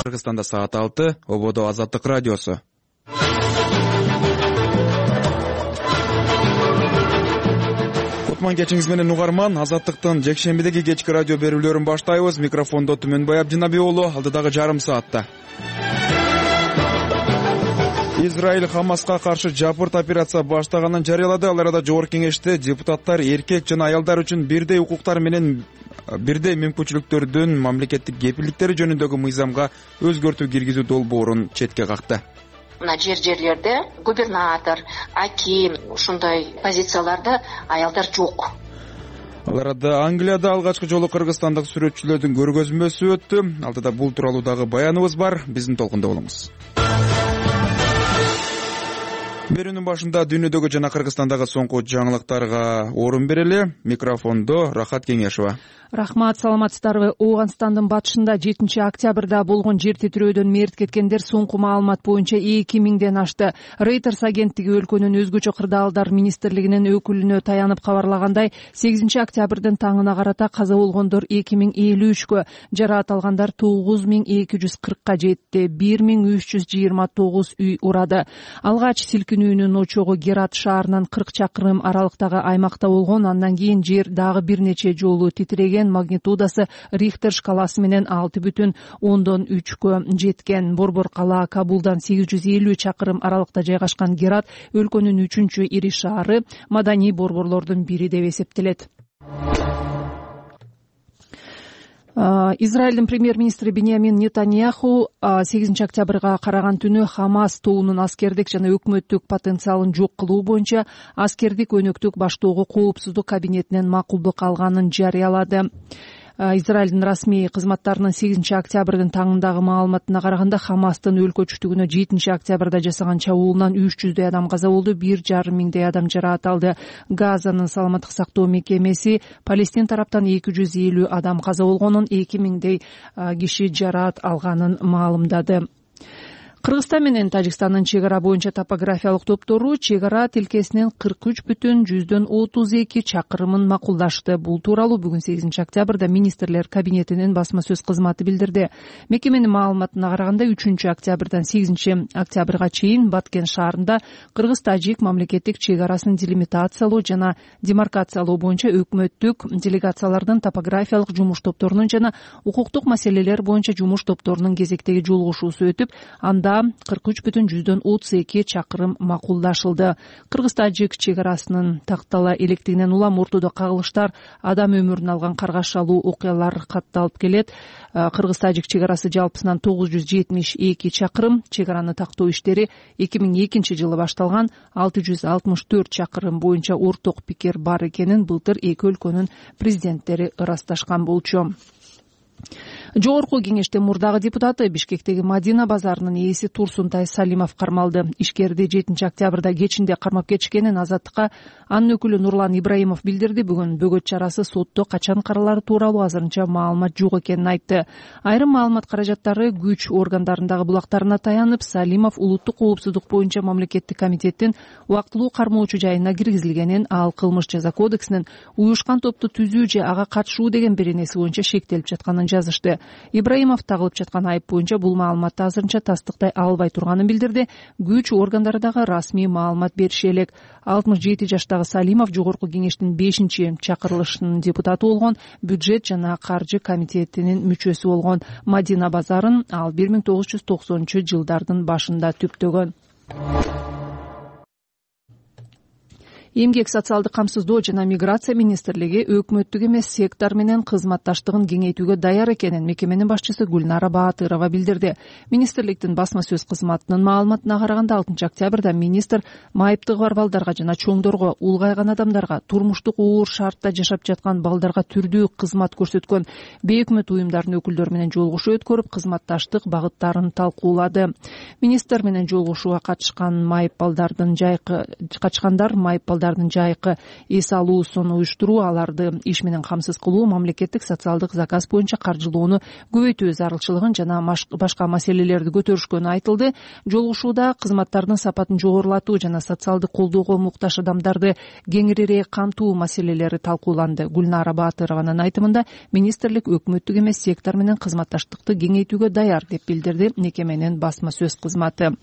Кыргызстанда саат 6, ободо Азаттык радиосу. Кутман кечиңиз менен угарман, Азаттыктын жекшембидеги кечки радио берүүлөрүн баштайбыз. Микрофондо Түмөнбай Абдинаби уулу, алдыдагы жарым саатта. Израиль Хамаска каршы жапырт операция баштаганын жарыялады. Ал арада Жогорку Кеңеште депутаттар эркек жана аялдар үчүн бирдей укуктар менен бирдей мүмкүнчүлүктөрдүн мамлекеттик кепилдиктери жөнүндөгү мыйзамга өзгөртүү киргизүү долбоорун четке какты. Мына жерлерде губернатор, аким ушундай позицияларда аялдар жок. Ал арада Англияда алгачкы жолу кыргызстандык сүрөтчүлөрдүн көргөзмөсү өттү. Алдыда бул тууралуу дагы баяныбыз бар. Биздин толкунда болуңуз. Берүүнүн башында дүйнөдөгү жана Кыргызстандагы соңку жаңылыктарга орун берели. Микрофондо Рахат Кеңешова. Рахмат, саламатсыздарбы? Ооганстандын батышында 7 октябрда болгон жер титирөөдөн мерт кеткендер соңку маалымат боюнча 2000ден ашты. Reuters агенттиги өлкөнүн өзгөчө кырдаалдар министрлигинин өкүлүнө таянып кабарлагандай, 8 октябрдын таңына карата каза болгондор 2053кө, жараат алгандар 9240ка жетти. 1329 үй урады. Алгач силкинүүнүн очогу Герат шаарынан 40 чакырым аралыктагы аймакта болгон. Андан кийин жер дагы бир нече жолу титиреген. Магнитудасы Рихтер шкаласы менен 6,3кө жеткен. Борбор кала Кабулдан 850 чакырым аралыкта жайгашкан Герат өлкөнүн 3-үчү ири шаары, маданий борборлордун бири деп эсептелет. Израилдин премьер-министри Биньямин Нетаньяху 8 октябрга караган түнү Хамас тобунун аскердик жана өкмөттүк потенциалын жок кылуу боюнча аскердик өнөктүк баштоого коопсуздук кабинетинен макулдук алганын жарыялады. Израилдин расмий кызматтарынын 8 октябрдын таңындагы маалыматына караганда, Хамастын өлкө чүтүгүнө 7 октябрда жасаган чабуулунан 300 адам каза болду, 1,5 миңдей адам жараат алды. Газанын саламаттык сактоо мекемеси Палестин тараптан 250 адам каза болгонун, 2000дей киши жараат алганын маалымдады. Кыргызстан менен Тажикстандын чек ара боюнча топографиялык топтору чек ара тилкесинин 43,32 чакырымын макулдашты. Бул тууралуу бүгүн 8 октябрда министрлер кабинетинин басма сөз кызматы билдирди. Мекеменин маалыматына караганда 3 октябрдан 8 октябрга чейин Баткен шаарында Кыргыз-Тажик мамлекеттик чек арасын делимитациялоо жана демаркациялоо боюнча өкмөттүк делегациялардын топографиялык жумуш топторунун жана укуктук маселелер боюнча жумуш топторунун кезектеги жолугушуусу өтүп, анда 43,32 чакырым макулдашылды. Кыргыз-Тажик чек арасынын тактала электигинен улам ортодо кагылыштар, адам өмүрүн алган каргашалуу окуялар катталып келет. Кыргыз-Тажик чек арасы жалпысынан 972 чакырым. Чек араны тактоо иштери 2002 жылы башталган. 664 чакырым боюнча орток пикир бар экенин былтыр эки өлкөнүн президенттери ырасташкан болчу. Жогорку Кеңеште мурдагы депутаты Бишкектеги Мадина базарынын ээси Турсунтай Салимов кармалды. Ишкерди 7 октябрда кечинде кармап кетишкенин Азаттыкка анын өкүлү Нурлан Ибраимов билдирди. Бүгүн бөгөт чарасы сотто качан каралары тууралуу азырынча маалымат жок экенин айтты. Айрым маалымат каражаттары күч органдарындагы булактарына таянып, Салимов улуттук коопсуздук боюнча мамлекеттик комитеттин убактылуу кармоочу жайына киргизилгенин, ал кылмыш жаза кодексинин уюшкан топту түзүү же ага катышуу деген беренеси боюнча шектелип жатканын жазышты. Ибраимов тагылып жаткан айып боюнча бул маалыматты азырынча тастыктай албай турганын билдирди. Күч органдары дагы расмий маалымат бериши элек. 67 жаштагы Салимов Жогорку Кеңештин 5-чакырылышынын депутаты болгон, бюджет жана каржы комитетинин мүчөсү болгон. Мадина базарын ал 1990-жылдардын башында түптөгөн. Эмгек социалдык камсыздоо жана миграция министрлиги өкмөттүк эмес сектор менен кызматташтыгын кеңейтүүгө даяр экенин мекеменин башчысы Гүлнара Баатырова билдирди. Министрликтин басма сөз кызматынын маалыматына караганда 6 октябрда министр майыптыгы бар балдарга жана чоңдорго, улгайган адамдарга, турмуштук оор шартта жашап жаткан балдарга түрдүү кызмат көрсөткөн бейөкмөт уюмдардын өкүлдөрү менен жолугушуу өткөрүп, кызматташтык багыттарын талкуулады. Министр менен жолугушууга катышкандар майып аялдардын жайкы эс алуусун уюштуруу, аларды иш менен камсыз кылуу, мамлекеттик социалдык заказ боюнча каржылоону көбөйтүү зарылчылыгын жана башка маселелерди көтөрүшкөнү айтылды. Жолугушууда кызматтардын сапатын жогорулатуу жана социалдык колдоого муктаж адамдарды кеңирээк камтуу маселелери талкууланды. Гүлнара Баатырованын айтымында министрлик өкмөттүк эмес сектор менен кызматташтыкты кеңейтүүгө даяр деп билдирди мекеменин басма сөз кызматы.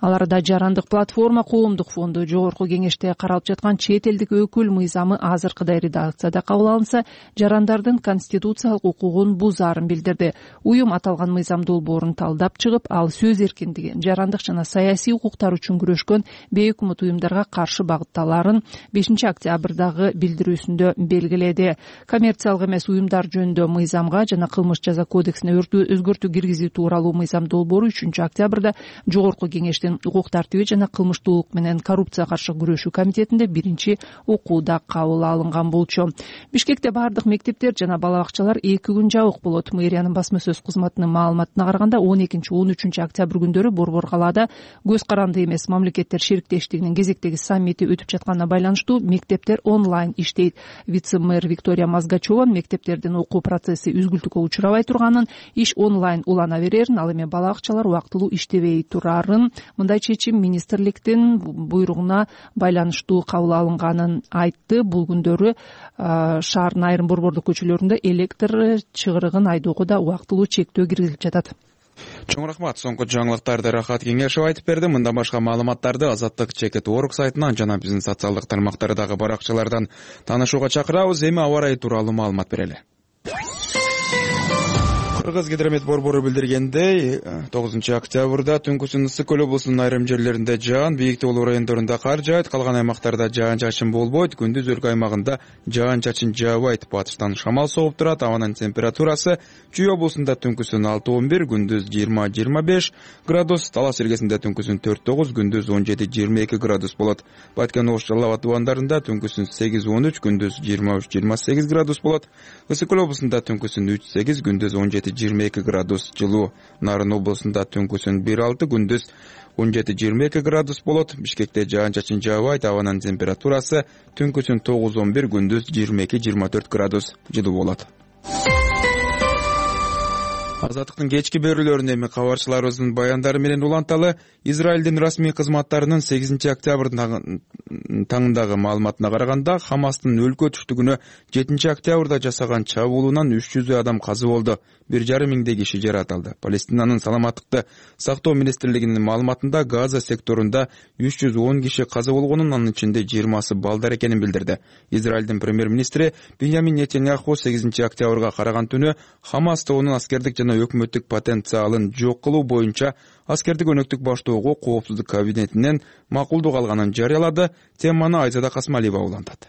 Ал арада Жарандык платформа коомдук фонду жогорку кеңеште каралып жаткан чет элдик өкүл мыйзамы азыркыдай редакцияда кабыл алынса, жарандардын конституциялык укугун бузаарын билдирди. Уюм аталган мыйзам долбоорун талдап чыгып, ал сөз эркиндиги, жарандык жана саясий укуктар үчүн күрөшкөн бейөкмөт уюмдарга каршы багытталарын 5 октябрдагы билдирүүсүндө белгиледи. Коммерциялык эмес уюмдар жөнүндө мыйзамга жана кылмыш жаза кодексине өзгөртүү киргизүү тууралуу мыйзам долбоору 3 октябрда жогорку кеңештин укук тартиби жана кылмыштуулук менен коррупция каршы күрөшүү комитетинде 1-окууда кабыл алынган болчу. Бишкекте бардык мектептер жана бала бакчалар 2 күн жабык болот. Мэриянын басма сөз кызматынын маалыматына караганда 12-13 октябрь күндөрү Борбор калаада көз каранды эмес мамлекеттер шериктештигинин кезектеги саммити өтүп жатканына байланыштуу мектептер онлайн иштейт. Вице-мэр Виктория Мазгачева мектептердин окуу процесси үзгүлтүккө учурабай турганын, иш онлайн улана берерин, ал эми бала бакчалар убактылуу иштебей турарын, мындай чечим министрликтин буйругуна байланыштуу кабыл алынганын айтты. Бул күндөрү шаардын айрым борбордук көчөлөрүндө электр чыгарыгын айдоого да убактылуу чектөө киргизилип жатат. Чоң рахмат. Соңку жаңылыктарды Рахат Кеңешев айтып берди. Мындан башка маалыматтарды Азаттык Чекет.org сайтынан жана биздин социалдык тармактардагы баракчалардан таанышууга чакырабыз. Эми аба ырайы тууралуу маалымат берели. Кыргыз гидромет борбору билдиргендей, 9 октябрда түнкүсүн Ысык Көл облусунун айрым жерлеринде жаан, Бийиктоолуу райондорунда кар жаайт, калган аймактарда жаан-чачын болбойт. Күндүз өлкө аймагында жаан-чачын жаабайт. Батыштан шамал согуп турат. Абанын температурасы Чүй облусунда түнкүсүн 6-11, күндүз 20-25 градус, Талас иргесинде түнкүсүн 4-9, күндүз 17-22 градус болот. Баткен Ош Жалал Абад убандарында түнкүсүн 8-13, күндүз 23-28 градус болот. Ысык Көл облусунда түнкүсүн 3-8, күндүз 17-22 градус жылуу. Нарын облусунда түнкүсүн 1-6, күндүз 17-22 градус болот. Бишкекте жаан-чачын жаабайт. Абанын температурасы түнкүсүн 9-11, күндүз 22-24 градус жылуу болот. Азаттыктын кечки берүүлөрүнө эми кабарчыларыбыздын баяндары менен уланталы. Израилдин расмий кызматтарынын 8 октябрдын таңындагы маалыматына караганда, Хамастын өлкө түштүгүнө 7 октябрда жасаган чабуулунан 300 адам каза болду. 1,5 миңдей киши жаратылды. Палестинанын саламаттыкты сактоо министрлигинин маалыматында Газа секторунда 310 киши каза болгонун, анын ичинде 20сы балдар экенин билдирди. Израилдин премьер-министри Биньямин Нетаньяху 8 октябрга караган түнү Хамас тобунун аскердик жана өкмөттүк потенциалын жок кылуу боюнча аскердик өнөктүк баштоого коопсуздук кабинетинен макулдук алганын жарыялады. Теманы Айзада Касмалиева улантат.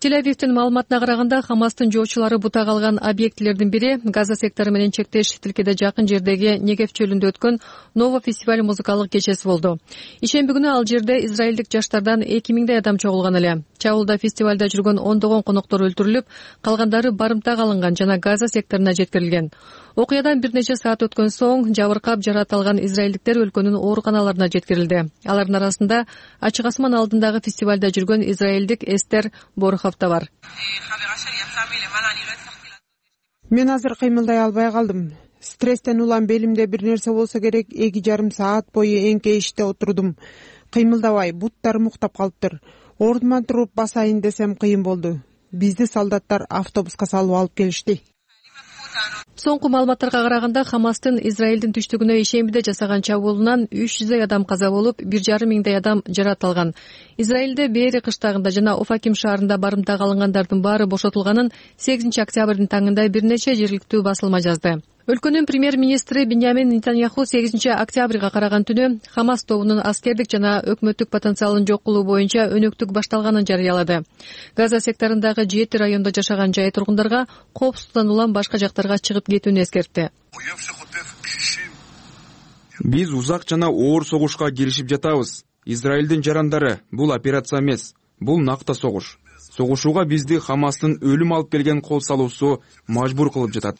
Тель-Авивдин маалыматына караганда, Хамастын жоочулары бута калган объектилердин бири Газа сектору менен чектеш тилкеде жакын жердеги Негев чөлүндө өткөн Нова фестиваль музыкалык кечеси болду. Ишемби күнү ал жерде израилдик жаштардан 2000 адам чогулган эле. Чабуулда фестивалда жүргөн ондогон коноктор өлтүрүлүп, калгандары барымтага алынган жана Газа секторуна жеткирилген. Окуядан бир нече саат өткөн соң жабыркап жаратылган израилдиктер өлкөнүн ооруканаларына жеткирилди. Алардын арасында ачык асман алдындагы фестивалда жүргөн израилдик Эстер Борхов да бар. Мен азыр кыймылдай албай калдым. Стресстен улам белимде бир нерсе болсо керек. 2,5 саат бою эңкейиште отурдум. Кыймылдабай, буттарым уктап калыптыр. Ордуман туруп басайын десем кыйын болду. Бизди солдаттар автобуска салып алып келишти. Соңку маалыматтарга караганда, Хамастын Израилдин түштүгүнө ишембиде жасаган чабуулунан 300 адам каза болуп, 1,5 миңдей адам жаратылган. Израилде Бери кыштагында жана Офаким шаарында барымтага алынгандардын баары бошотулганын 8 октябрдын таңында бир нече жергиликтүү басылма жазды. Өлкөнүн премьер-министри Биньямин Нетаньяху 8 октябрга караган түнү Хамас тобунун аскердик жана өкмөттүк потенциалын жок кылуу боюнча өнөктүк башталганын жарыялады. Газа секторундагы 7 райондо жашаган жай тургундарга коопсуздуктан улам башка жактарга чыгып кетүүнү эскертти. Биз узак жана оор согушка киришип жатабыз. Израилдин жарандары, бул операция эмес, бул накта согуш. Согушууга бизди Хамастын өлүм алып келген кол салуусу мажбур кылып жатат.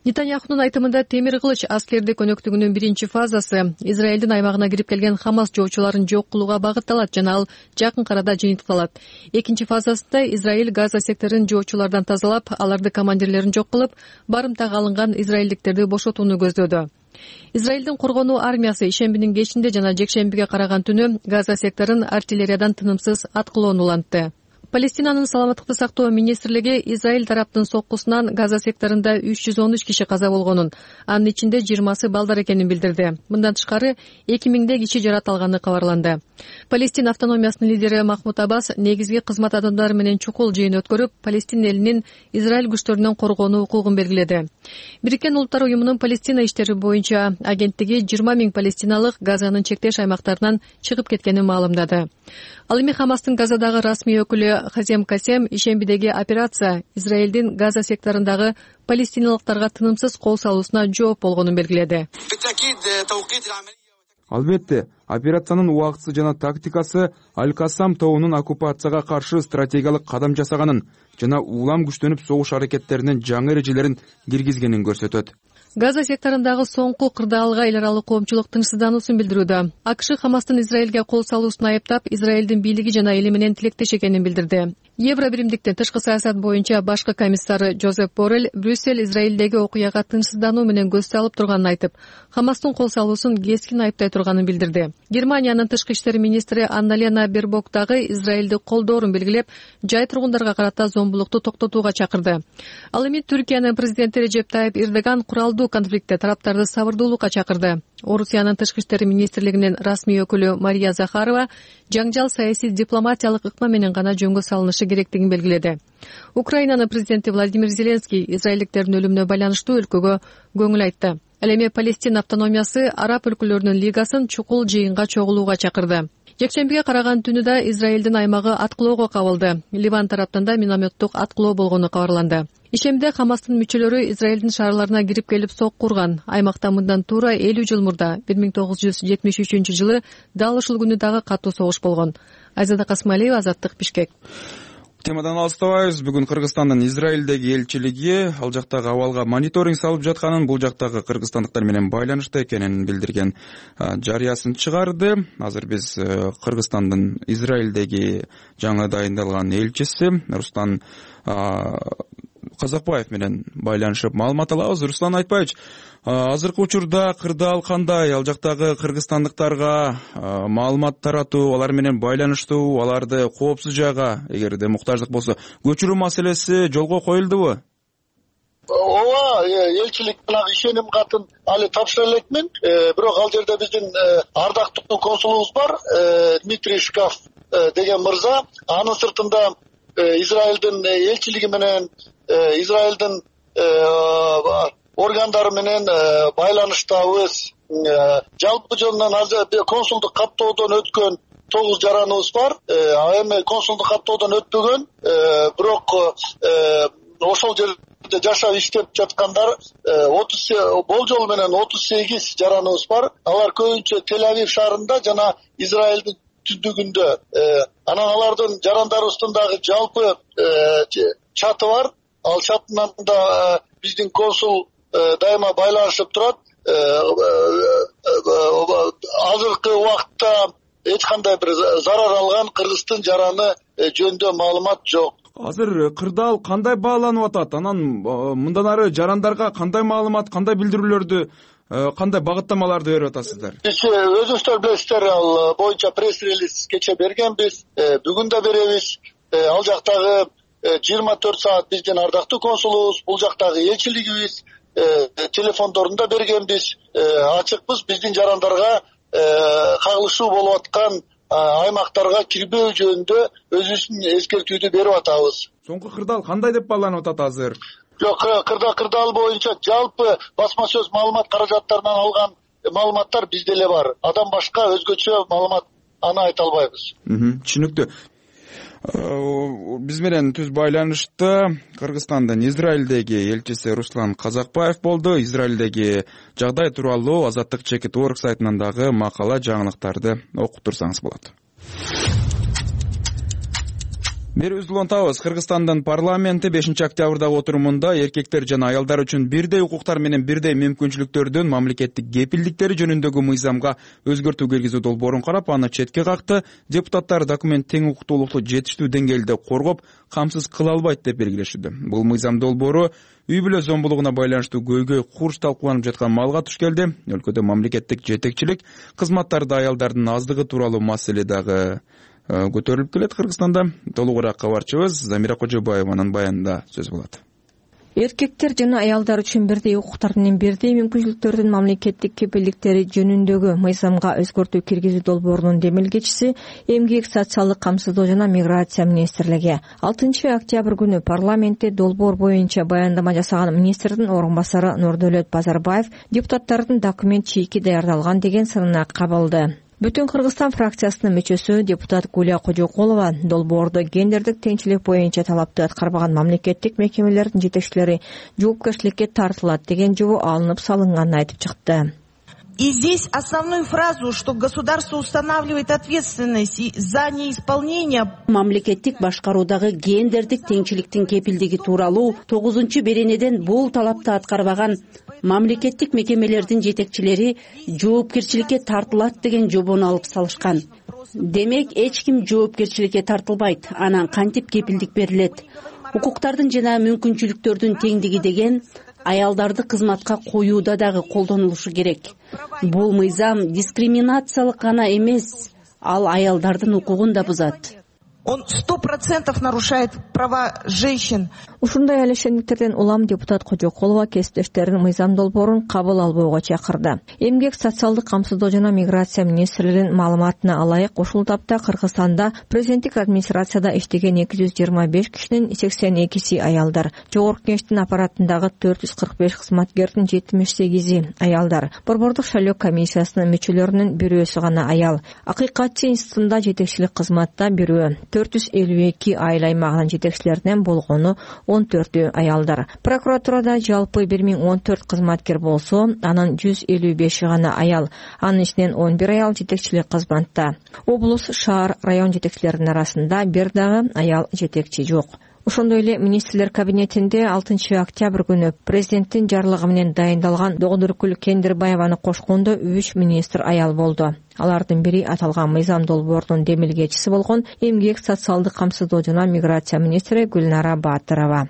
Нетаньяхунун айтымында темир кылыч аскердик өнөктүгүнүн биринчи фазасы Израилдин аймагына кирип келген Хамас жоочуларын жок кылууга багытталат жана ал жакын арада жыйынтыкталат. Экинчи фазасында Израиль Газа секторун жоочулардан тазалап, аларды командирлерин жок кылып, барымтага алынган израилдиктерди бошотууну көздөдү. Израилдин коргонуу армиясы ишембинин кечинде жана жекшембиге караган түнү Газа секторун артиллериядан тынымсыз аткылоону улантты. Палестинанын саламаттыкты сактоо министрлиги Израиль тараптын соккусунан Газа секторунда 313 киши каза болгонун, анын ичинде 20сы балдар экенин билдирди. Мындан тышкары 2000 киши жараталганы кабарланды. Палестин автономиясынын лидери Махмуд Аббас негизги кызмат адамдары менен чукул жыйын өткөрүп, Палестин элинин Израиль күчтөрүнөн коргонуу укугун белгиледи. Бириккен Улуттар уюмунун Палестина иштери боюнча агенттиги 20 000 палестиналык Газанын чектеш аймактарынан чыгып кеткенин маалымдады. Ал эми Хамастын Газадагы расмий өкүлү Хазем Касем ишембидеги операция Израилдин Газа секторундагы палестиналыктарга тынымсыз кол салуусуна жооп болгонун белгиледи. Албетте, операциянын убактысы жана тактикасы Аль-Кассам тоонун оккупацияга каршы стратегиялык кадам жасаганын жана улам күчтөнүп согуш аракеттеринин жаңы эрежелерин киргизгенин көрсөтөт. Газа секторундагы соңку кырдаалга эл аралык коомчулук тынчсыздануусун билдирүүдө. АКШ Хамастын Израилге кол салуусун айыптап, Израилдин бийлиги жана эли менен тилектеш экенин билдирди. Евро биримдиктин тышкы саясат боюнча башкы комиссары Жозеп Боррель Брюссель Израилдеги окуяга тынчсыздануу менен көз салып турганын айтып, Хамастын кол салуусун кескин айыптай турганын билдирди. Германиянын тышкы иштер министри Анна-Лена Бербок дагы Израилди колдоорун белгилеп, жай тургундарга карата зомбулукту токтотууга чакырды. Ал эми Түркиянын президенти Режеп Тайип Эрдоган куралдуу конфликтте тараптарды сабырдуулукка чакырды. Орусиянын тышкы иштер министрлигинин расмий өкүлү Мария Захарова жаңжал саясий дипломатиялык ыкма менен гана жөнгө салынышы керектигин белгиледи. Украинанын президенти Владимир Зеленский израилдиктердин өлүмүнө байланыштуу өлкөгө көңүл айтты. Ал эми Палестин автономиясы араб өлкөлөрүнүн лигасын чукул жыйынга чогулууга чакырды. Жекшембиге караган түнү да Израилдин аймагы аткылоого кабылды. Ливан тараптан да минометтук аткылоо болгону кабарланды. Ишемде Хамастын мүчөлөрү Израилдин шаарларына кирип келип сок курган. Аймакта мындан туура 50 жыл мурда 1973-жылы дал ушул күнү дагы катуу согуш болгон. Айзада Касмалиева, Азаттык, Бишкек. Темадан алыстабайбыз. Бүгүн Кыргызстандын Израилдеги элчилиги ал жактагы абалга мониторинг салып жатканын, бул жактагы кыргызстандыктар менен байланышта экенин билдирген жарыясын чыгарды. Азыр биз Кыргызстандын Израилдеги жаңы дайындалган элчиси Руслан Казакбаев менен байланышып маалымат алабыз. Руслан Айтбаевич, азыркы учурда кырдаал кандай? Ал жактагы кыргызстандыктарга маалымат таратуу, алар менен байланыштуу, аларды коопсуз жайга эгерде муктаждык болсо көчүрүү маселеси жолго коюлдубу? Ооба, элчилик менен ишеним катын али тапшыра элекмин. Бирок ал жерде биздин ардактуу консулубуз бар, Дмитрий Шкаф деген мырза. Анын сыртында Израилдин элчилиги менен Израилдин органдары менен байланыштабыз. Жалпы жөнүнөн консулдук каттоодон өткөн 9 жараныбыз бар. Эми консулдук каттоодон өтпөгөн, бирок ошол жерде жашап иштеп жаткандар болжол менен 38 жараныбыз бар. Алар көбүнчө Тель-Авив шаарында жана Израилдин түндүгүндө. Анан алардын жарандарыбыздын дагы жалпы чаты бар. Ал чатынан да биздин консул дайыма байланышып турат. Азыркы убакытта эч кандай бир зарар алган кыргыздын жараны жөнүндө маалымат жок. Азыр кырдаал кандай бааланып атат? Анан мындан ары жарандарга кандай маалымат, кандай билдирүүлөрдү, кандай багыттамаларды берип атасыздар? Биз өзүңүздөр билесиздер, ал боюнча пресс-релиз кече бергенбиз, бүгүн да беребиз. Ал жактагы 24 саат биздин ардактуу консулубуз, бул жактагы элчилигибиз телефондорун да бергенбиз. Ачыкпыз, биздин жарандарга кагылышуу болуп аткан аймактарга кирбөө жөнүндө өзүбүздүн эскертүүдү берип атабыз. Соңку кырдаал кандай деп бааланып атат азыр? Жок, кырдаал боюнча жалпы басма сөз маалымат каражаттарынан алган маалыматтар бизде эле бар. Адам башка өзгөчө маалымат аны айта албайбыз. Түшүнүктүү. Биз менен түз байланышта Кыргызстандын Израилдеги элчиси Руслан Казакбаев болду. Израилдеги жагдай тууралуу Азаттык Чекит.org сайтынан дагы макала, жаңылыктарды окуп турсаңыз болот. Берүүбүздү улантабыз. Кыргызстандын парламенти 5-октябрдагы отурумунда эркектер жана аялдар үчүн бирдей укуктар менен бирдей мүмкүнчүлүктөрдүн мамлекеттик кепилдиктери жөнүндөгү мыйзамга өзгөртүү киргизүү долбоорун карап, аны четке какты. Депутаттар документ тең укуктуулукту жетиштүү деңгээлде коргоп, камсыз кыла албайт деп белгилешүүдө. Бул мыйзам долбоору үй бүлө зомбулугуна байланыштуу көйгөй курч талкууланып жаткан маалга туш келди. Өлкөдө мамлекеттик жетекчилик кызматтарда аялдардын аздыгы тууралуу маселе дагы көтөрүлүп келет. Кыргызстанда толугураак кабарчыбыз Замира Кожобаеванын баянында сөз болот. Эркектер жана аялдар үчүн бирдей укуктар менен бирдей мүмкүнчүлүктөрдүн мамлекеттик кепилдиктери жөнүндөгү мыйзамга өзгөртүү киргизүү долбоорунун демилгечиси Эмгек, социалдык камсыздоо жана миграция министрлиги 6 октябрь күнү парламентте долбоор боюнча баяндама жасаган министрдин орун басары Нурдөлөт Базарбаев депутаттардын документ чийки даярдалган деген сынына кабылды. Бүтүн Кыргызстан фракциясынын мүчөсү депутат Гуля Кожокулова долбоордо гендердик теңчилик боюнча талапты аткарбаган мамлекеттик мекемелердин жетекчилери жоопкерчиликке тартылат деген жобо алынып салынганын айтып чыкты. И здесь основную фразу, что государство устанавливает ответственность за неисполнение. Мамлекеттик башкаруудагы гендердик теңчиликтин кепилдиги тууралуу 9-беренеден бул талапты аткарбаган мамлекеттик мекемелердин жетекчилери жоопкерчиликке тартылат деген жобону алып салышкан. Демек, эч ким жоопкерчиликке тартылбайт. Анан кантип кепилдик берилет? Укуктардын жана мүмкүнчүлүктөрдүн теңдиги деген аялдарды кызматка коюуда дагы колдонулушу керек. Бул мыйзам дискриминациялык гана эмес, ал аялдардын укугун да бузат. Он 100% нарушает права женщин. Ушундай алешендиктерден улам депутат Кожокулова кесиптештерин мыйзам долбоорун кабыл албоого чакырды. Эмгек, социалдык камсыздоо жана миграция министрлигинин маалыматына алайык, ушул тапта Кыргызстанда президенттик администрацияда иштеген 225 кишинин 82си аялдар, жогорку кеңештин аппаратындагы 445 кызматкердин 78и аялдар, борбордук шайлоо комиссиясынын мүчөлөрүнүн бирөөсү гана аял, Акыйкатчы институтунда жетекчилик кызматта бирөө, 452 айыл аймагынын жетекчилеринен болгону 14 аялдар. Прокуратурада жалпы 1014 кызматкер болсо, анын 155 гана аял, анын ичинен 11 аял жетекчилик кызматта. Облус, шаар, район жетекчилеринин арасында бир дагы аял жетекчи жок. Ошондой эле министрлер кабинетинде 6 октябрь күнү президенттин жарлыгы менен дайындалган Догдуркүл Кендирбаеваны кошкондо 3 министр аял болду. Алардын бири аталган мыйзам долбоорунун демилгечиси болгон Эмгек, социалдык камсыздоо жана миграция министри Гүлнара Баатырова.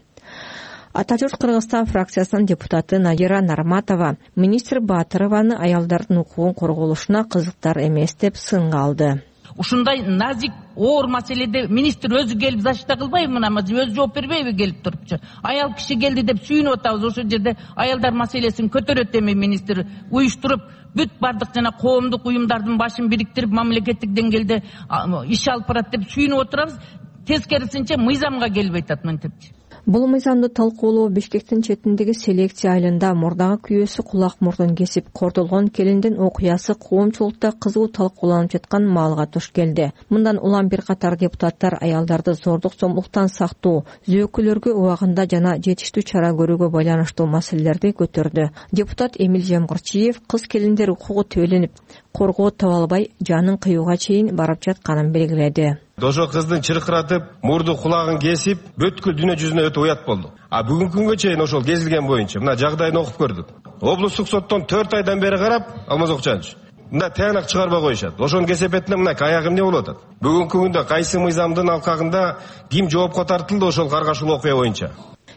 Ата журт Кыргызстан фракциясынын депутаты Надира Нарматова министр Баатырованы аялдардын укугун корголушуна кызыктар эмес деп сынга алды. Ушундай назик оор маселеде министр өзү келип защита кылбайбы, мына өзү жооп бербейби келип турупчу? Аял киши келди деп сүйүнүп атабыз. Ошол жерде аялдар маселесин көтөрөт эми министр уюштуруп, бүт бардык жана коомдук уюмдардын башын бириктирип мамлекеттик деңгээлде иш алып барат деп сүйүнүп отурабыз. Тескерисинче мыйзамга келбей атат мынтипчи. Бул мыйзамды талкуулоо Бишкектин четиндеги селекция айылында мурдагы күйөөсү кулак мурдун кесип кордолгон келиндин окуясы коомчулукта кызуу талкууланып жаткан маалга туш келди. Мындан улам бир катар депутаттар аялдарды зордук зомбулуктан сактоо, зөөккөлөргө убагында жана жетиштүү чара көрүүгө байланыштуу маселелерди көтөрдү. Депутат Эмил Жамгырчиев кыз келиндер укугу төөленип, коргоо таба албай жанын кыюуга чейин барып жатканын белгиледи. Ошо кыздын чыркыратып, мурду кулагын кесип, бүткүл дүйнө жүзүнө өтө уят болду. Бүгүнкү күнгө чейин ошол кезилген боюнча мына жагдайын окуп көрдүк. Облустук соттон 4 айдан бери карап, Алмаз Окчанович, мына тыянак чыгарбай коюшат. Ошонун кесепетинде мына аягы эмне болуп атат? Бүгүнкү күндө кайсы мыйзамдын алкагында ким жоопко тартылды ошол каргашуу окуя боюнча?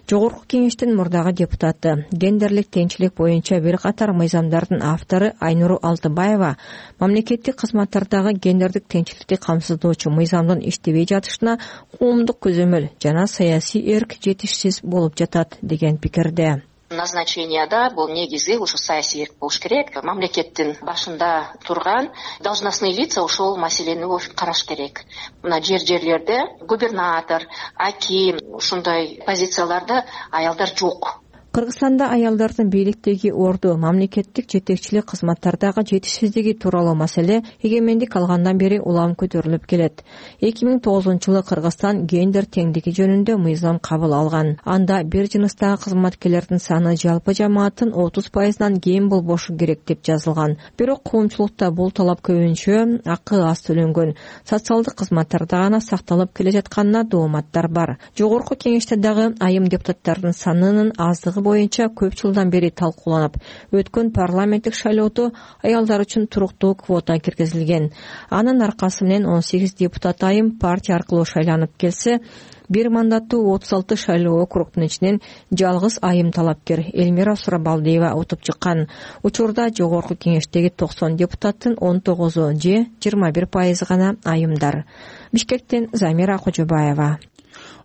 Жогорку кеңештин мурдагы депутаты, гендерлик теңчилик боюнча бир катар мыйзамдардын автору Айнуру Алтыбаева мамлекеттик кызматтардагы гендердик теңчиликти камсыздоочу мыйзамдын иштебей жатышына коомдук көзөмөл жана саясий эрк жетишсиз болуп жатат деген пикирде. Назначенияда бул негизи ушу саясий эрк болуш керек. Мамлекеттин башында турган должностный лица ошол маселени караш керек. Мына жерлерде губернатор, аким ушундай позицияларда аялдар жок. Кыргызстанда аялдардын бийликтеги орду, мамлекеттик жетекчилик кызматтардагы жетишсиздиги тууралуу маселе эгемендик алгандан бери улам көтөрүлүп келет. 2009-жылы Кыргызстан гендер теңдиги жөнүндө мыйзам кабыл алган. Анда бир жыныстагы кызматкерлердин саны жалпы жамааттын 30%-нан кем болбошу керек деп жазылган. Бирок коомчулукта бул талап көбүнчө акы аз төлөнгөн социалдык кызматтарда гана сакталып келе жатканына дооматтар бар. Жогорку кеңеште дагы айым депутаттардын санынын аздыгы боюнча көп жылдан бери талкууланып, өткөн парламенттик шайлоодо аялдар үчүн туруктуу квота киргизилген. Анын аркасы менен 18 депутат айым партия аркылуу шайланып келсе, бир мандаттуу 36 шайлоо округдун ичинен жалгыз айым талапкер Элмира Сурабалдиева утуп чыккан. Учурда жогорку кеңештеги 90 депутаттын 19 же 21% гана айымдар. Бишкектен Замира Кожобаева.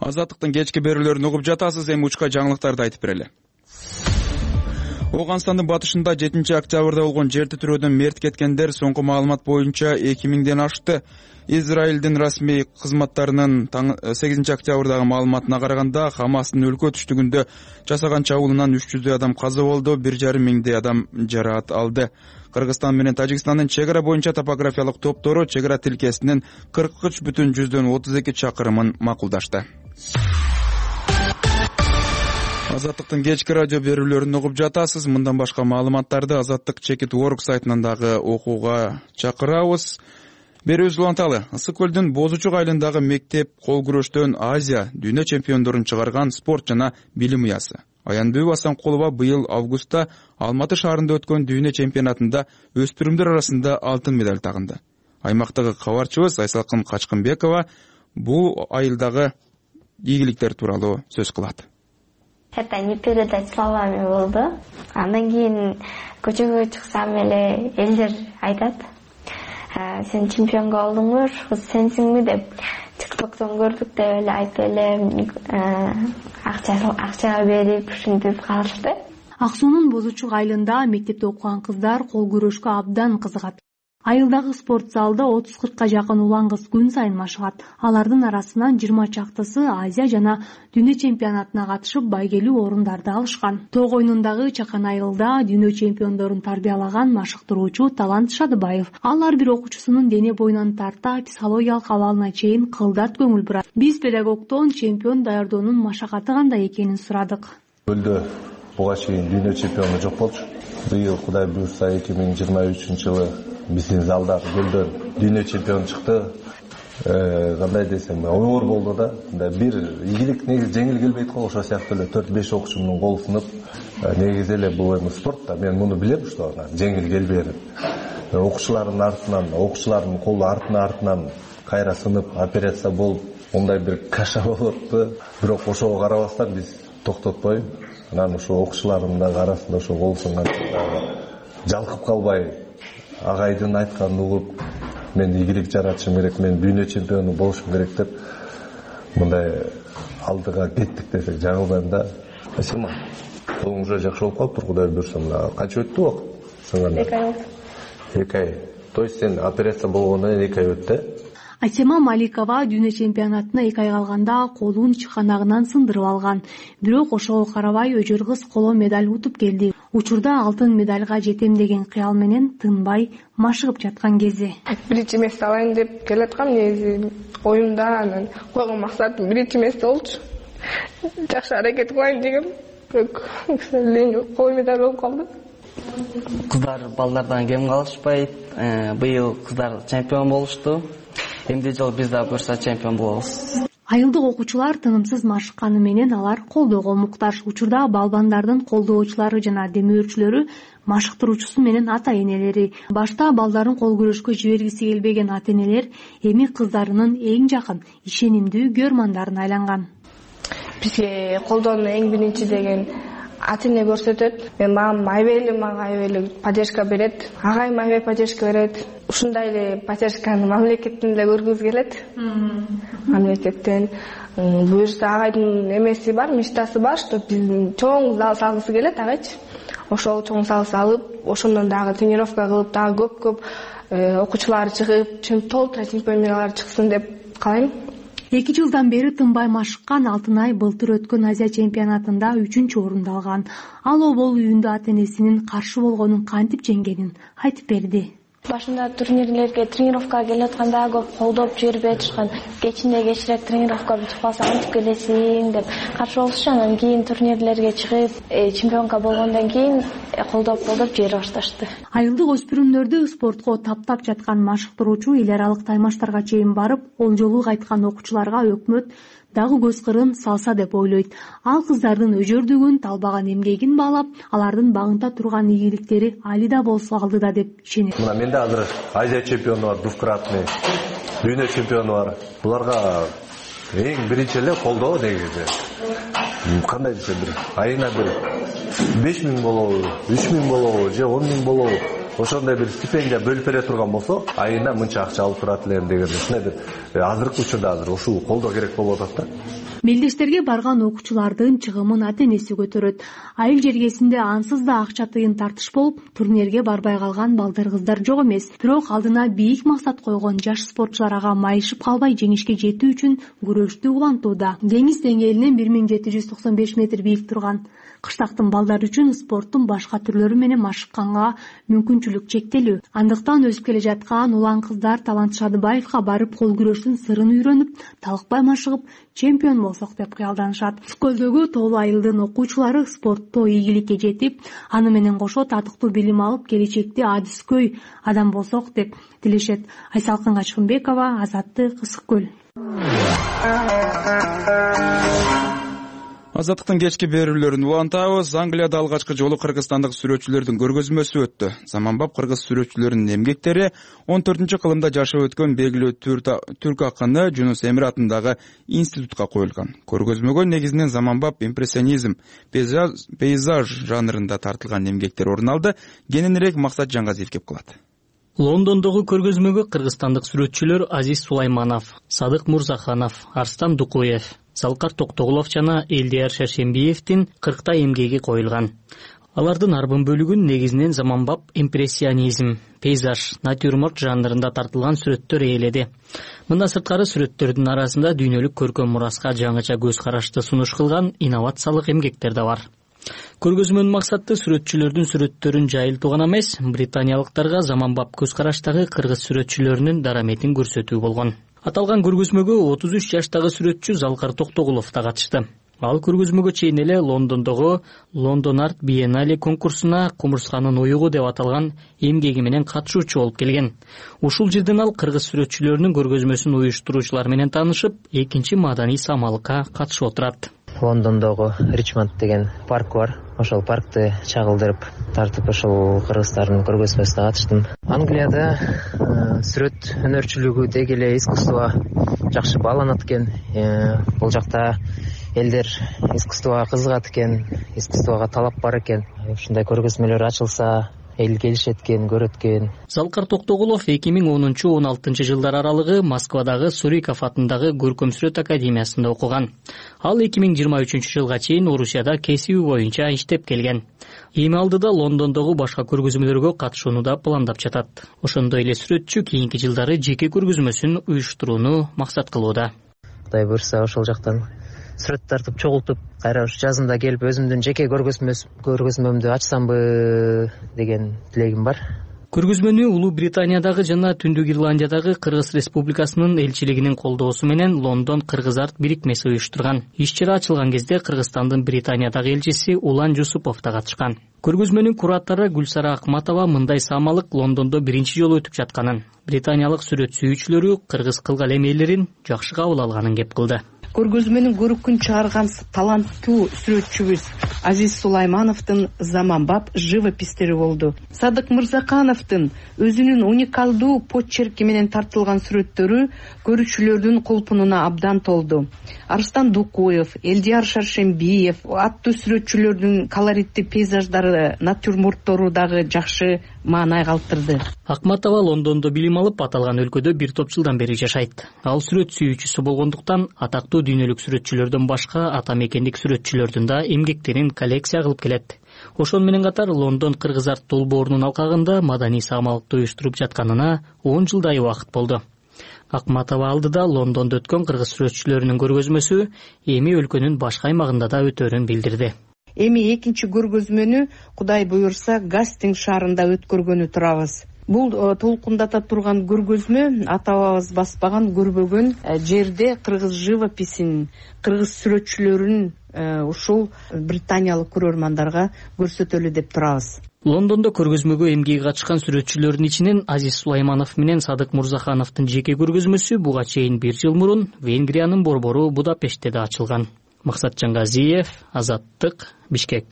Азаттыктын кечки берүүлөрүн угуп жатасыз, эми учка жаңылыктарды айтып берели. Ооганстандын батышында 7-октябрда болгон жер титирөөдөн мерт кеткендер соңку маалымат боюнча 2000ден ашты. Израилдин расмий кызматтарынын 8-октябрдагы маалыматына караганда, Хамастын өлкө түштүгүндө жасаган чабуулунан 300 адам каза болду, 1,5 миңдей адам жараат алды. Кыргызстан менен Тажикстандын чек ара боюнча топографиялык топтору чек ара тилкесинин 43,32 чакырымын макулдашты. Азаттыктын кечки радио берүүлөрүн угуп жатасыз. Мындан башка маалыматтарды Азаттык.org сайтынан дагы окууга чакырабыз. Берүүбүз уланталы. Ысык көлдүн Бозучук айылындагы мектеп кол күрөштөн Азия дүйнө чемпиондорун чыгарган спорт жана билим уясы. Аянбек Асанкулова быйыл августта Алматы шаарында өткөн дүйнө чемпионатында өспүрүмдөр арасында алтын медаль тагынды. Аймактагы кабарчыбыз Айсалкын Качкынбекова бул айылдагы ийгиликтер тууралуу сөз кылат. Это не передать словами болду. Андан кийин көчөгө чыксам эле элдер айтат: "Сен чемпионго болдуңбу, сенсиңби?" деп ТикТоктон көрдүк деп эле айтып эле акча берип ушинтип калышты. Ак суунун Бозучук айылында мектепте окуган кыздар кол күрөшкө абдан кызыгат. Айылдагы спорт залда 30-40 жакын улан кыз күн сайын машыгат. Алардын арасынан 20 чактысы Азия жана дүйнө чемпионатына катышып байгелүү орундарды алышкан. Тог оюнундагы чакан айылда дүйнө чемпиондорун тарбиялаган машыктыруучу Талант Шадыбаев. Ал ар бир окуучусунун дене боюнан тарта психологиялык абалына чейин кылдат көңүл бурат. Биз педагогдон чемпион даярдоонун машакаты кандай экенин сурадык. Көлдө буга чейин дүйнө чемпиону жок болчу. Быйыл Кудай буйрса 2023-жылы биздин залда көлдөн дүйнө чемпион чыкты. Кандай десем, оор болду да. Бир ийгилик негизи жеңил келбейт го, ошо сыяктуу эле 4-5 окуучумдун колу сынып, негизи эле бул эми спорт да. Мен муну билем, что жеңил келбейт. Окуучулардын артынан, окуучулардын колу артынан кайра сынып, операция болуп, мындай бир каша болупту. Бирок ошого карабастан биз токтотпой, анан ошо окуучулардын арасында ошо кол сынган жалкып калбай, агайдын айтканын угуп, мен ийгилик жаратышым керек, мен дүйнө чемпиону болушум керек деп мындай алдыга кеттик десек жаңылбайм да. Спасибо. Колуң уже жакшы болуп калыптыр, Кудай буйрса. Канча өттү убакыт сынганда? 2 ай. 2 ай. То есть сен операция болгондон кийин 2 ай өттү? Асема Маликова дүйнө чемпионатына 2 ай калганда колун чыканагынан сындырып алган. Бирок ошого карабай өжөр кыз коло медаль утуп келди. Учурда алтын медальга жетем деген кыял менен тынбай машыгып жаткан кези. Биринчи месте алайын деп келаткам, негизи оюмда анан койгон максатым биринчи месте болчу. Жакшы аракет кылайын дегем, бирок кол медаль болуп калды. Кыздар балдардан кем калышпайт. Быйыл кыздар чемпион болушту. Эмди жол биз да буйрса чемпион болобуз. Айылдык окуучулар тынымсыз машыкканы менен алар колдоого муктаж. Учурда балбандардын колдоочулары жана демөөрчүлөрү машыктыруучусу менен ата-энелери. Башта балдарын кол күрөшкө жибергиси келбеген ата-энелер эми кыздарынын эң жакын, ишенимдүү көрмандарын айланган. Бизге колдоону эң биринчи деген ата-эне көрсөтөт. Мага айбеле поддержка берет. Агайым айбай поддержка берет. Ушундай эле поддержканы мамлекеттен эле көргүбүз келет. Мамлекеттен буйрса агайдын эмеси бар, мечтасы бар, что биздин чоң зал салгысы келет агайчы. Ошол чоң зал салып, ошондон дагы тренировка кылып, дагы көп окуучулар чыгып, толтура чемпиондор чыксын деп каалайм. 2 жылдан бери тынбай машыккан Алтынай былтыр өткөн Азия чемпионатында 3-орунду алган. Ал обол үйүндө ата-энесинин каршы болгонун кантип жеңгенин айтып берди. Башында турнирлерге, тренировкага келип атканда көп колдоп жиберип жатышкан. Кечирээк тренировкага чыкпасаң антип келесиң деп каршы болушчу. Анан кийин турнирлерге чыгып, чемпионка болгондон кийин колдоп жибере башташты. Айылдык өспүрүмдөрдү спортко таптап жаткан машыктыруучу эл аралык таймаштарга чейин барып, ол жолу кайткан окуучуларга өкмөт дагы көз кырын салса деп ойлойт. Ал кыздардын өжөрдүгүн, талбаган эмгегин баалап, алардын багынта турган ийгиликтери али да болсо алдыда деп ишенет. Мына менде азыр Азия чемпиону бар, двукратный, дүйнө чемпиону бар. Буларга эң биринчи эле колдоо негизи. Кандай десем, айына бир 5000 болобу, 3000 болобу, же 10.000 болобу. Ошондой бир стипендия бөлүп бере турган болсо, айына мынча акча алып турат элем деген ушундай бир азыркы учурда азыр ушул колдоо керек болуп атат да. Мелдештерге барган окуучулардын чыгымын ата-энеси көтөрөт. Айыл жергесинде ансыз да акча тыйын тартыш болуп, турнирге барбай калган балдар кыздар жок эмес. Бирок алдына бийик максат койгон жаш спортчулар ага майышып калбай жеңишке жетүү үчүн күрөштү улантууда. Деңиз деңгээлинен 1795 метр бийик турган кыштактын балдары үчүн спорттун башка түрлөрү менен машыкканга мүмкүнчүлүк чектелүү. Андыктан өсүп келе жаткан улан кыздар Талант Шадыбаевга барып кол күрөштүн сырын үйрөнүп, талыкпай машыгып, чемпион болсок деп кыялданышат. Скөлдөгү тоолуу айылдын окуучулары спортто ийгиликке жетип, аны менен кошо татыктуу билим алып, келечекте адыскөй адам болсок деп тилешет. Айсалкын Качкынбекова, Азаттык, Ысык көл. Азаттыктын кечки берүүлөрүн улантабыз. Англияда алгачкы жолу кыргызстандык сүрөтчүлөрдүн көргөзмөсү өттү. Заманбап кыргыз сүрөтчүлөрүнүн эмгектери 14-кылымда жашап өткөн белгилүү түрк акыны Жунус Эмир атындагы институтка коюлган. Көргөзмөгө негизинен заманбап импрессионизм, пейзаж жанрында тартылган эмгектер орун алды. Кененирээк Максат Жаңгазиев кеп кылат. Лондондогу көргөзмөгө кыргызстандык сүрөтчүлөр Азиз Сулайманов, Садык Мурзаханов, Арстан Дукуев, Залкар Токтогулов жана Элдияр Шаршембиевдин 40 эмгеги коюлган. Алардын арбын бөлүгүн негизинен заманбап импрессионизм, пейзаж, натюрморт жанрында тартылган сүрөттөр ээледи. Мындан сырткары сүрөттөрдүн арасында дүйнөлүк көркөм мураска жаңыча көз карашты сунуш кылган инновациялык эмгектер да бар. Көргөзмөнүн максаты сүрөтчүлөрдүн сүрөттөрүн жайылтуу гана эмес, британиялыктарга заманбап көз караштагы кыргыз сүрөтчүлөрүнүн дараметин көрсөтүү болгон. Аталган көргөзмөгө 33 жаштагы сүрөтчү Залкар Токтогулов да катышты. Ал көргөзмөгө чейин эле Лондондогу Лондон Арт Биеннале конкурсуна кумурсканын уюгу деп аталган эмгеги менен катышуучу болуп келген. Ушул жерден ал кыргыз сүрөтчүлөрүнүн көргөзмөсүн уюштуруучулар менен таанышып, экинчи маданий самалыкка катышып отурат. Лондондогу Ричмонд деген парк бар. Ошол паркты чагылдырып тартып ошол кыргыздардын көргөзмөсүнө катыштым. Англияда сүрөт өнөрчүлүгү деги эле искусство жакшы бааланат экен. Бул жакта элдер искусствого кызыгат экен, искусствого талап бар экен. Ушундай көргөзмөлөр ачылса эл келишет экен, көрөт экен. Залкар Токтогулов 2010-16 жылдар аралыгы Москвадагы Суриков атындагы Көркөм сүрөт академиясында окуган. Ал 2023 жылга чейин Орусияда кесиби боюнча иштеп келген. Эми алдыда Лондондогу башка көргөзмөлөргө катышууну да пландап жатат. Ошондой эле сүрөтчү кийинки жылдары жеке көргөзмөсүн уюштурууну максат кылууда. Кудай буйрса ошол жактан сүрөт тартып чогултуп, кайра жазында келип өзүмдүн жеке көргөзмөмдү ачсамбы деген тилегим бар. Көргөзмөнү Улуу Британиядагы жана Түндүк Ирландиядагы Кыргыз Республикасынын элчилигинин колдоосу менен Лондон Кыргыз арт бирикмеси уюштурган. Иш-чара ачылган кезде Кыргызстандын Британиядагы элчиси Улан Жусупов да катышкан. Көргөзмөнүн куратору Гүлсара Акматова мындай самалык Лондондо биринчи жолу өтүп жатканын, британиялык сүрөт сүйүүчүлөрү кыргыз кылган эмелерин жакшы кабыл алганын кеп кылды. Көргөзмөнүн көрүкүн чыгарган таланттуу сүрөтчүбүз Азиз Сулаймановдун заманбап живопистери болду. Садык Мырзахановдун өзүнүн уникалдуу почерки менен тартылган сүрөттөрү көрүүчүлөрдүн кулпунуна абдан толду. Арстан Дукуев, Элдияр Шаршембиев аттуу сүрөтчүлөрдүн колоритти пейзаждары, натюрморттору дагы жакшы маанай калтырды. Акматова Лондондо билим алып, аталган өлкөдө бир топ жылдан бери жашайт. Ал сүрөт сүйүүчүсү болгондуктан атактуу дүйнөлүк сүрөтчүлөрдөн башка ата мекендик сүрөтчүлөрдүн да эмгектерин коллекция кылып келет. Ошон менен катар Лондон Кыргыз арт долбоорунун алкагында маданий самалыкты уюштуруп жатканына 10 жылдай убакыт болду. Акматова алдыда Лондондо өткөн кыргыз сүрөтчүлөрүнүн көргөзмөсү эми өлкөнүн башка аймагында да өтөрүн билдирди. Эми экинчи көргөзмөнү Кудай буюрса Гастинг шаарында өткөргөнү турабыз. Бул толкундата турган көргөзмө ата бабабыз баспаган, көрбөгөн жерде кыргыз живописин, кыргыз сүрөтчүлөрүн ушул британиялык көрөрмандарга көрсөтөлү деп турабыз. Лондондо көргөзмөгө эмгеги катышкан сүрөтчүлөрдүн ичинен Азиз Сулайманов менен Садык Мурзахановдун жеке көргөзмөсү буга чейин 1 жыл мурун Венгриянын борбору Будапештте да ачылган. Максатжан Газиев, Азаттык, Бишкек.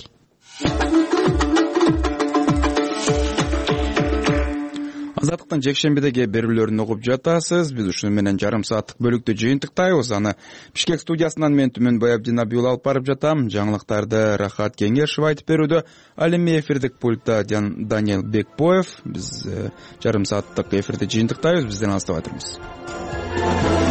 Азаттыктын жекшембидеги берүүлөрүн угуп жатасыз. Биз ушуну менен жарым сааттык бөлүктү жыйынтыктайбыз. Аны Бишкек студиясынан мен Түмөнбай Абдинабиул алып барып жатам. Жаңылыктарды Рахат Кеңешев айтып берүүдө. Ал эми эфирдик пультта Даниэл Бекбоев. Биз жарым сааттык эфирди жыйынтыктайбыз. Бизден алыстабай туруңуз.